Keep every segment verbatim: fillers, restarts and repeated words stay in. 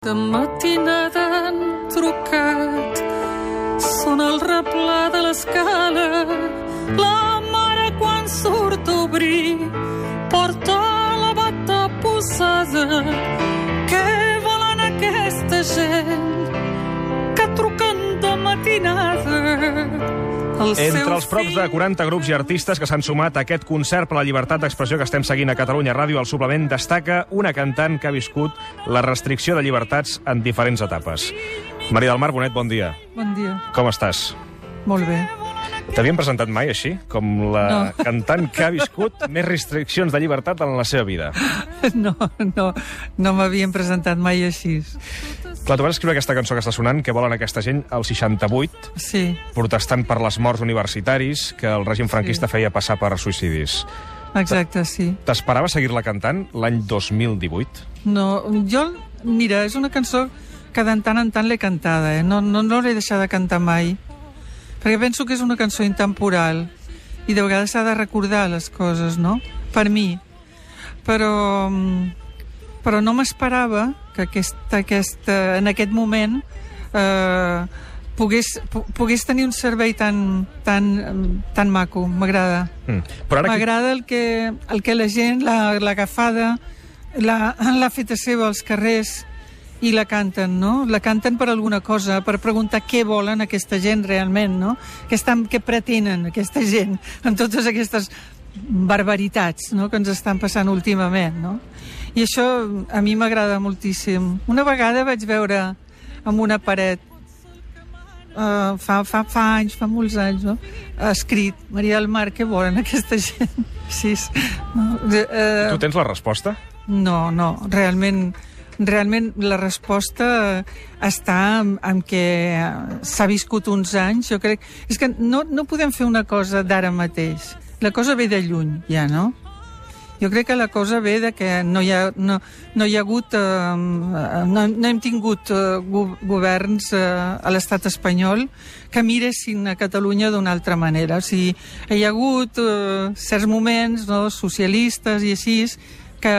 De matinada han trucat, són el replà de l'escala. La mare quan surt a obrir porta la bata posada. Què volen aquesta gent que truquen de matinada? El Entre els prop de quaranta grups i artistes que s'han sumat a aquest concert per la llibertat d'expressió que estem seguint a Catalunya Ràdio, al suplement destaca una cantant que ha viscut la restricció de llibertats en diferents etapes. Maria del Mar Bonet, bon dia. Bon dia. Com estàs? Molt bé. T'havien presentat mai així? Com la No. cantant que ha viscut més restriccions de llibertat en la seva vida? No, no, no m'havien presentat mai així. Clar, tu vas escriure aquesta cançó que està sonant, que volen aquesta gent, al seixanta-vuit, Sí, protestant per les morts universitaris que el règim franquista Sí. feia passar per suïcidis. exacte, sí. T'esperava seguir-la cantant l'any dos mil divuit? No, jo, mira, és una cançó que de tant en tant l'he cantada, eh? No, no, no l'he deixat de cantar mai, perquè penso que és una cançó intemporal i de vegades s'ha de recordar les coses, no? Per mi. Però, però no m'esperava que aquesta, aquesta, en aquest moment eh, pogués, pogués tenir un servei tan, tan, tan maco. M'agrada. Mm. Però ara... M'agrada el que, el que la gent l'ha agafada, l'ha feta seva als carrers i la canten, no? La canten per alguna cosa, per preguntar què volen aquesta gent realment, no? Què, estan, què pretenen aquesta gent amb totes aquestes barbaritats, no?, que ens estan passant últimament, no? I això a mi m'agrada moltíssim. Una vegada vaig veure amb una paret Uh, fa, fa, fa anys, fa molts anys, no? Escrit, Maria del Mar, què volen aquesta gent? Sí, no, uh, Tu tens la resposta? No, no, realment, realment la resposta està en, en què s'ha viscut uns anys, jo crec. És que no, no podem fer una cosa d'ara mateix. La cosa ve de lluny, ja, no? Jo crec que la cosa ve de que no hi ha, no, no hi ha hagut, eh, no, no hem tingut eh, go governs eh, a l'estat espanyol que miressin a Catalunya d'una altra manera. O sigui, hi ha hagut eh, certs moments, no, socialistes i així, que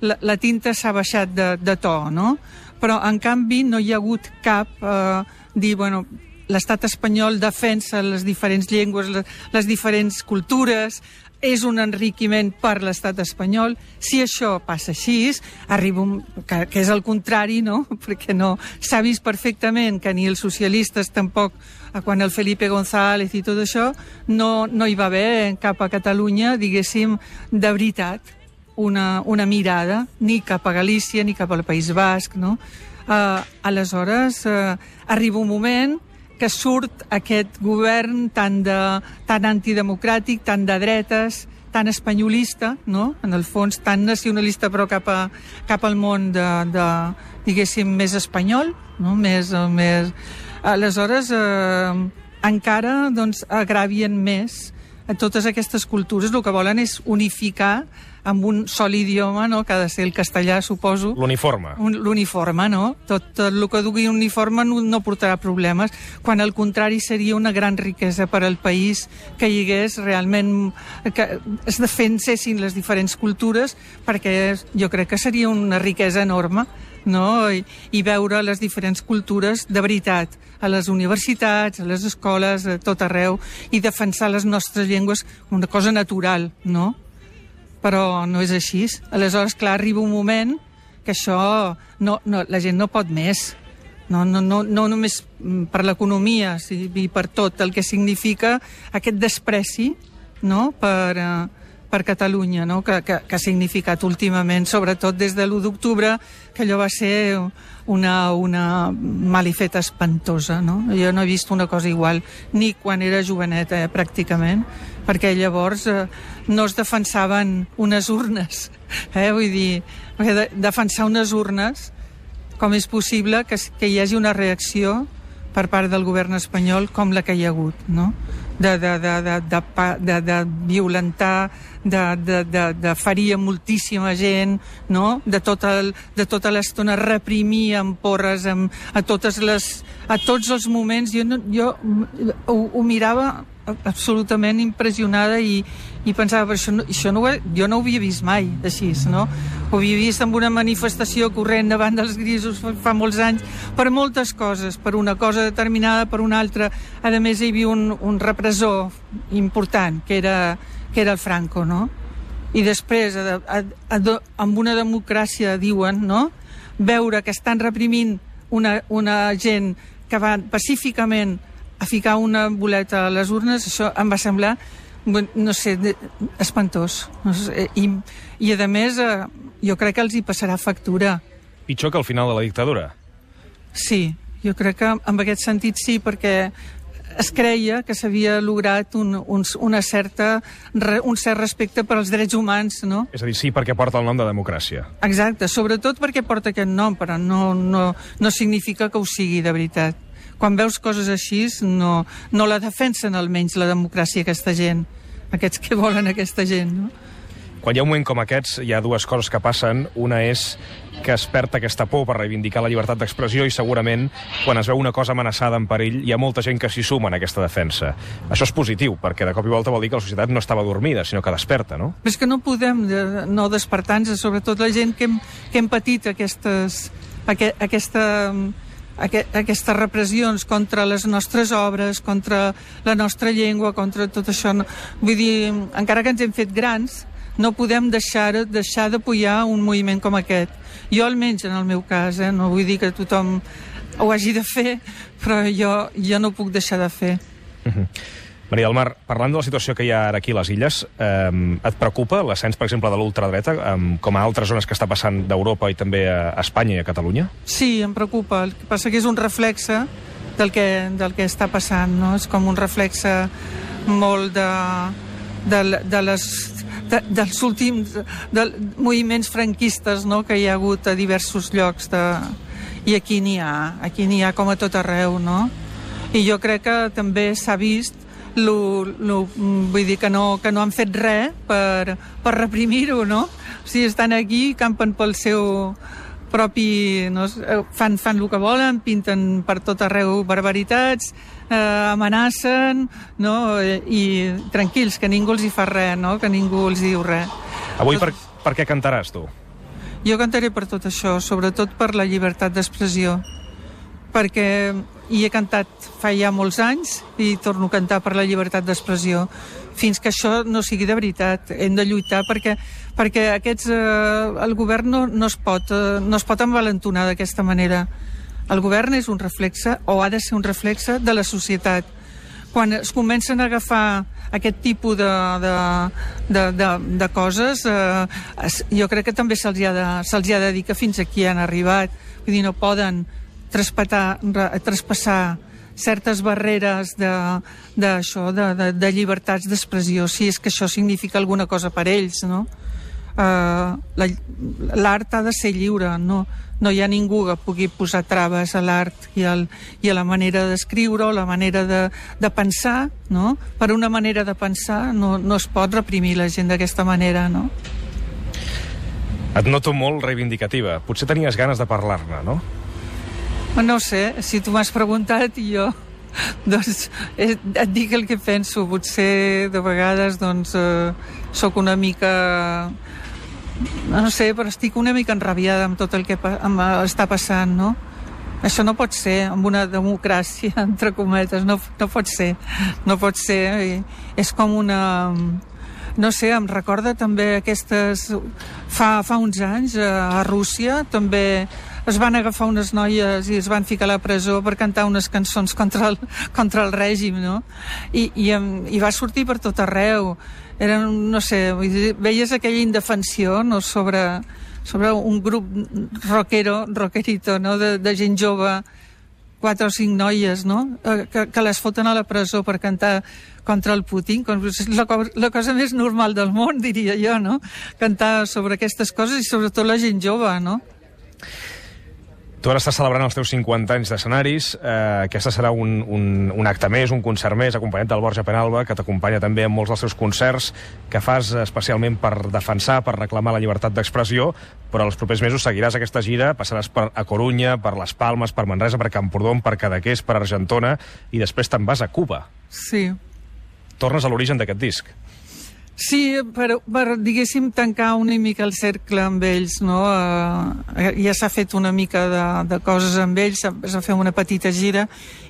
la, la tinta s'ha baixat de, de to, no? Però, en canvi, no hi ha hagut cap eh, dir, bueno, l'estat espanyol defensa les diferents llengües, les, les diferents cultures, és un enriquiment per l'estat espanyol. Si això passa així, arriba un, que, que és el contrari, no? Perquè no s'ha vist perfectament que ni els socialistes tampoc, quan el Felipe González i tot això, no, no hi va haver cap a Catalunya, diguéssim, de veritat, una, una mirada, ni cap a Galícia, ni cap al País Basc, no? Uh, aleshores, uh, arriba un moment que surt aquest govern tan, de, tan antidemocràtic, tan de dretes, tan espanyolista, no? En el fons, tan nacionalista, però cap, a, cap al món de, de, diguéssim, més espanyol, no? Més, més... Aleshores, eh, encara, doncs, agravien més a totes aquestes cultures. El que volen és unificar amb un sol idioma, no?, que ha de ser el castellà, suposo. L'uniforme. L'uniforme, no? Tot, tot el que dugui uniforme no, no portarà problemes, quan al contrari seria una gran riquesa per al país que hi hagués realment, que es defensessin les diferents cultures, perquè jo crec que seria una riquesa enorme, no? I, i veure les diferents cultures de veritat a les universitats, a les escoles, a tot arreu, i defensar les nostres llengües, una cosa natural, no? Però no és així. Aleshores, clar, arriba un moment que això, no, no, la gent no pot més. No, no, no, no només per l'economia, sí, i per tot el que significa aquest despreci, no?, per, uh, per Catalunya, no?, que, que, que ha significat últimament, sobretot des de l'u d'octubre, que allò va ser una, una malifeta espantosa, no? Jo no he vist una cosa igual, ni quan era joveneta, eh, pràcticament, perquè llavors eh, no es defensaven unes urnes, eh? Vull dir, de, defensar unes urnes, com és possible que, que hi hagi una reacció per part del govern espanyol com la que hi ha hagut, no? De, de, de, de, de, de, de violentar, de, de, de, de ferir moltíssima gent, no? De tota, de tota l'estona reprimir amb porres, amb, a, totes les, a tots els moments. Jo, no, jo ho, ho mirava absolutament impressionada i, i pensava, però això, no, això no ho, jo no ho havia vist mai així, no? Ho havia vist en una manifestació corrent davant dels grisos fa molts anys, per moltes coses, per una cosa determinada, per una altra. A més, hi havia un, un repressor important, que era, que era el Franco, no? I després, a, a, a, amb una democràcia, diuen, no?, veure que estan reprimint una, una gent que va pacíficament a ficar una boleta a les urnes, això em va semblar, no sé, espantós. No sé, i, I, a més, eh, jo crec que els hi passarà factura. Pitjor que al final de la dictadura? Sí, jo crec que en aquest sentit sí, perquè es creia que s'havia lograt un, un, una certa, un cert respecte per als drets humans, no? És a dir, sí perquè porta el nom de democràcia. Exacte, sobretot perquè porta aquest nom, però no, no, no significa que ho sigui de veritat. Quan veus coses així, no, no la defensen almenys la democràcia aquesta gent, aquests que volen aquesta gent, no? Quan hi ha un moment com aquests, hi ha dues coses que passen. Una és que es perd aquesta por per reivindicar la llibertat d'expressió i segurament quan es veu una cosa amenaçada en perill hi ha molta gent que s'hi suma en aquesta defensa. Això és positiu, perquè de cop i volta vol dir que la societat no estava dormida, sinó que desperta, no? Però és que no podem no despertar-nos, sobretot la gent que hem, que hem patit aquestes, aqu aquesta, aquestes repressions contra les nostres obres, contra la nostra llengua, contra tot això. Vull dir, encara que ens hem fet grans, no podem deixar, deixar d'apoyar un moviment com aquest. Jo, almenys, en el meu cas, eh, no vull dir que tothom ho hagi de fer, però jo, jo no ho puc deixar de fer. Uh-huh. Maria del Mar, parlant de la situació que hi ha ara aquí a les Illes, eh, et preocupa l'ascens, per exemple, de l'ultradreta, eh, com a altres zones que està passant d'Europa i també a Espanya i a Catalunya? Sí, em preocupa. El que passa que és un reflexe del que, del que està passant, no? És com un reflexe molt de, de, de les... De, dels últims de moviments franquistes, no?, que hi ha hagut a diversos llocs de... i aquí n'hi ha, aquí n'hi ha com a tot arreu, no? I jo crec que també s'ha vist lo, lo, vull dir que no, que no han fet res per, per reprimir-ho, no? O sigui, estan aquí, campen pel seu propi... No? Fan, fan el que volen, pinten per tot arreu barbaritats, eh, amenacen, no? I, i tranquils, que ningú els hi fa res, no? Que ningú els diu res. Avui per, per què cantaràs, tu? Jo cantaré per tot això, sobretot per la llibertat d'expressió, perquè hi he cantat fa ja molts anys i torno a cantar per la llibertat d'expressió. Fins que això no sigui de veritat, hem de lluitar perquè, perquè aquests, eh, el govern no, no, es pot, eh, no es pot envalentonar d'aquesta manera. El govern és un reflexe, o ha de ser un reflexe, de la societat. Quan es comencen a agafar aquest tipus de, de, de, de, de coses, eh, jo crec que també se'ls ha, de, se'ls ha de dir que fins aquí han arribat. Vull dir, no poden traspassar, traspassar certes barreres de, de, això, de, de, de llibertats d'expressió, si és que això significa alguna cosa per ells, no? Uh, l'art ha de ser lliure, no, no hi ha ningú que pugui posar traves a l'art i, al, i a la manera d'escriure o la manera de, de pensar, no? Per una manera de pensar no, no es pot reprimir la gent d'aquesta manera, no? Et noto molt reivindicativa. Potser tenies ganes de parlar-ne, no? No sé, si tu m'has preguntat i jo doncs et dic el que penso. Potser de vegades doncs eh, sóc una mica, no sé, però estic una mica enrabiada amb tot el que em està passant, no? Això no pot ser, amb una democràcia, entre cometes, no, no pot ser, no pot ser. I és com una... No sé, em recorda també aquestes... Fa, fa uns anys, a Rússia, també es van agafar unes noies i es van ficar a la presó per cantar unes cançons contra el, contra el règim, no? I, i, i va sortir per tot arreu. Era, no sé, veies aquella indefensió, no?, sobre, sobre un grup rockero, rockerito, no?, de, de gent jove, quatre o cinc noies, no?, que, que les foten a la presó per cantar contra el Putin. És la, la cosa més normal del món, diria jo, no?, cantar sobre aquestes coses i sobretot la gent jove, no? Tu ara estàs celebrant els teus cinquanta anys d'escenaris. Eh, aquesta serà un, un, un acte més, un concert més, acompanyat del Borja Penalba, que t'acompanya també en molts dels teus concerts, que fas especialment per defensar, per reclamar la llibertat d'expressió, però els propers mesos seguiràs aquesta gira, passaràs per a Corunya, per Les Palmes, per Manresa, per Camprodon, per Cadaqués, per Argentona, i després te'n vas a Cuba. Sí. Tornes a l'origen d'aquest disc. Sí, per, per, diguéssim, tancar una mica el cercle amb ells, no? Uh, ja s'ha fet una mica de, de coses amb ells, s'ha fet una petita gira,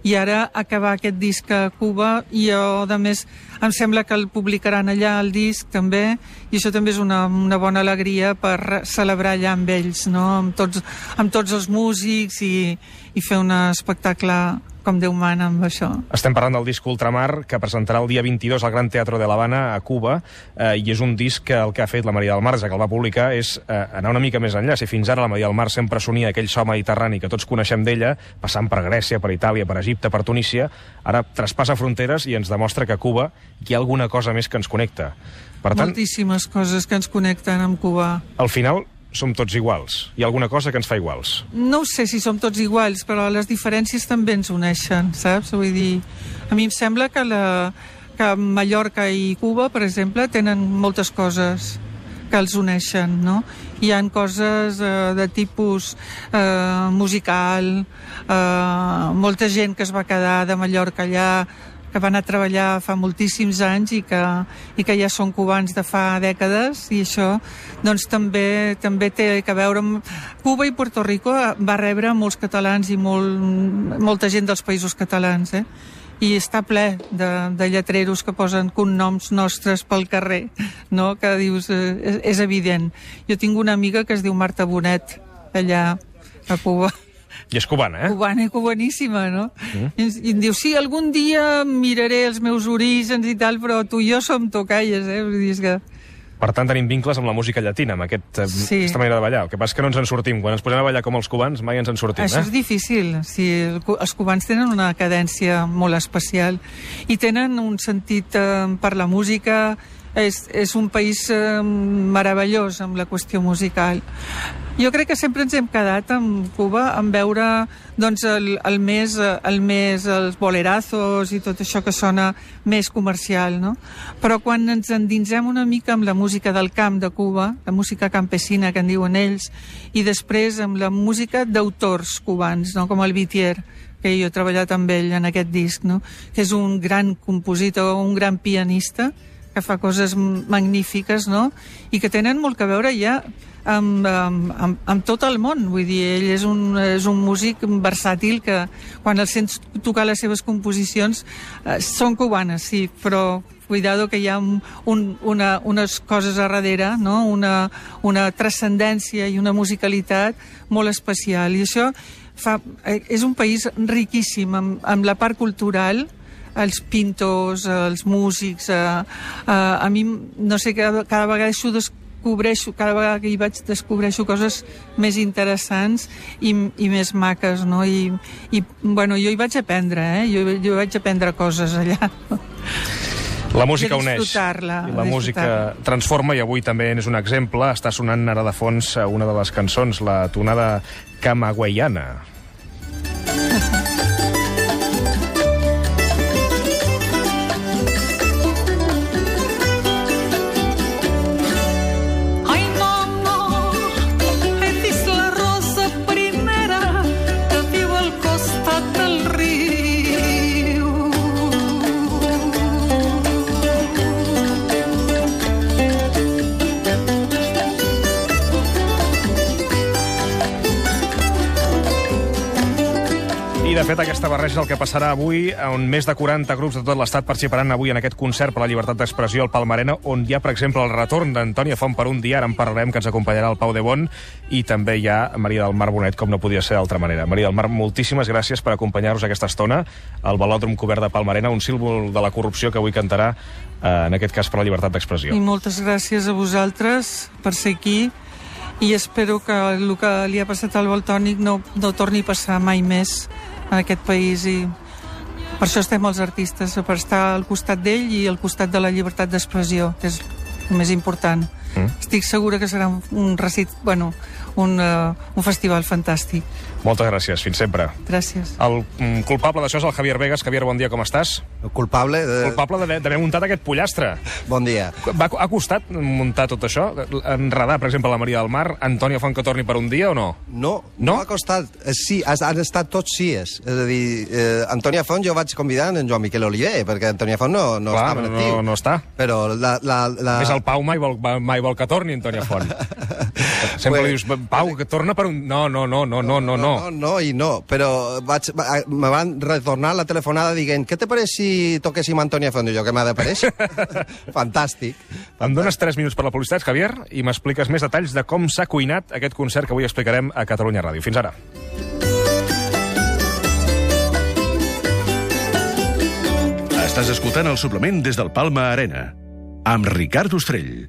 i ara acabar aquest disc a Cuba, i jo, a més, em sembla que el publicaran allà, el disc, també, i això també és una, una bona alegria per celebrar allà amb ells, no? Amb tots, amb tots els músics, i, i fer un espectacle com Déu mana amb això. Estem parlant del disc Ultramar, que presentarà el dia vint-i-dos al Gran Teatro de l'Havana, a Cuba, eh, i és un disc que el que ha fet la Maria del Mar, ja que el va publicar, és eh, anar una mica més enllà. Si fins ara la Maria del Mar sempre sonia aquell so mediterrani que tots coneixem d'ella, passant per Grècia, per Itàlia, per Egipte, per Tunísia, ara traspassa fronteres i ens demostra que a Cuba hi ha alguna cosa més que ens connecta. Per tant, moltíssimes coses que ens connecten amb Cuba. Al final, som tots iguals. Hi ha alguna cosa que ens fa iguals. No ho sé si som tots iguals, però les diferències també ens uneixen, saps? Vull dir, a mi em sembla que, la, que Mallorca i Cuba, per exemple, tenen moltes coses que els uneixen, no? Hi ha coses eh, de tipus eh, musical, eh, molta gent que es va quedar de Mallorca allà, que van a treballar fa moltíssims anys i que, i que ja són cubans de fa dècades, i això doncs també també té a veure amb... Cuba i Puerto Rico va rebre molts catalans i molt, molta gent dels països catalans, eh? I està ple de, de lletreros que posen cognoms nostres pel carrer, no? Que dius, eh, és, és evident. Jo tinc una amiga que es diu Marta Bonet, allà a Cuba. I és cubana, eh? Cubana i cubaníssima, no? Mm. I, I em diu, sí, algun dia miraré els meus orígens i tal, però tu i jo som tocalles, eh? Vull dir, és que... Per tant, tenim vincles amb la música llatina, amb aquest, sí. aquesta manera de ballar. El que passa és que no ens en sortim. Quan ens posem a ballar com els cubans, mai ens en sortim. Això eh? és difícil. Sí, els cubans tenen una cadència molt especial i tenen un sentit eh, per la música. És, és un país eh, meravellós amb la qüestió musical. Jo crec que sempre ens hem quedat amb Cuba en veure doncs, el, el, més, el més els bolerazos i tot això que sona més comercial, no? Però quan ens endinsem una mica amb la música del camp de Cuba, la música campesina que en diuen ells, i després amb la música d'autors cubans, no? Com el Vitier, que jo he treballat amb ell en aquest disc, no? Que és un gran compositor, un gran pianista, que fa coses magnífiques, no? I que tenen molt que veure ja amb, amb, amb, amb tot el món. Vull dir, ell és un, és un músic versàtil que quan el sents tocar les seves composicions eh, són cubanes, sí, però cuidado que hi ha un, una, unes coses a darrere, no? Una, una transcendència i una musicalitat molt especial. I això fa, eh, és un país riquíssim amb, amb la part cultural, els pintors, els músics, eh, eh, a mi, no sé, cada, cada vegada això descobreixo, cada vegada que hi vaig descobreixo coses més interessants i, i més maques, no? I, i bueno, jo hi vaig aprendre, eh? Jo, jo vaig aprendre coses allà. La música uneix, la, i la música transforma, i avui també és un exemple. Està sonant ara de fons una de les cançons, la tonada camagüeyana. De fet, aquesta barreja és el que passarà avui, on més de quaranta grups de tot l'estat participaran avui en aquest concert per la llibertat d'expressió al Palmarena, on hi ha, per exemple, el retorn d'Antònia Font per un dia, ara en parlarem, que ens acompanyarà el Pau de Bon, i també hi ha Maria del Mar Bonet, com no podia ser d'altra manera. Maria del Mar, moltíssimes gràcies per acompanyar-nos aquesta estona al velòdrom cobert de Palmarena, un símbol de la corrupció que avui cantarà, eh, en aquest cas, per la llibertat d'expressió. I moltes gràcies a vosaltres per ser aquí, i espero que el que li ha passat al Valtònyc no, no torni a passar mai més en aquest país, i per això estem els artistes, per estar al costat d'ell i al costat de la llibertat d'expressió, que és el més important. Mm. Estic segura que serà un, un recit, bueno, un, uh, un festival fantàstic. Moltes gràcies, fins sempre. Gràcies. El mm, culpable d'això és el Javier Vegas. Javier, bon dia, com estàs? El culpable de... Culpable d'haver d'haver muntat aquest pollastre. Bon dia. Va, ha costat muntar tot això? Enredar, per exemple, la Maria del Mar, Antònia Font que torni per un dia o no? No, No? no ha costat. Eh, Sí, has- han estat tots sies. És a dir, eh, Antònia Font jo vaig convidar en Joan Miquel Oliver, perquè Antònia Font no, no Clar, estava en no, actiu. no està. Però la... la, la... És el Pau mai vol, mai vol que torni, Antònia Font. Sempre Pues- li dius, Pau, que torna per un... No, no, no, no, no, no. No, no i no, però vaig, va- me van retornar la telefonada dient què te pareix si toquéssim Antònia Font? I jo, que m'ha d'aparèixer? Fantàstic. Em dones tres minuts per la publicitat, Javier, i m'expliques més detalls de com s'ha cuinat aquest concert que avui explicarem a Catalunya Ràdio. Fins ara. Estàs escoltant el suplement des del Palma Arena, amb Ricard Ostrell.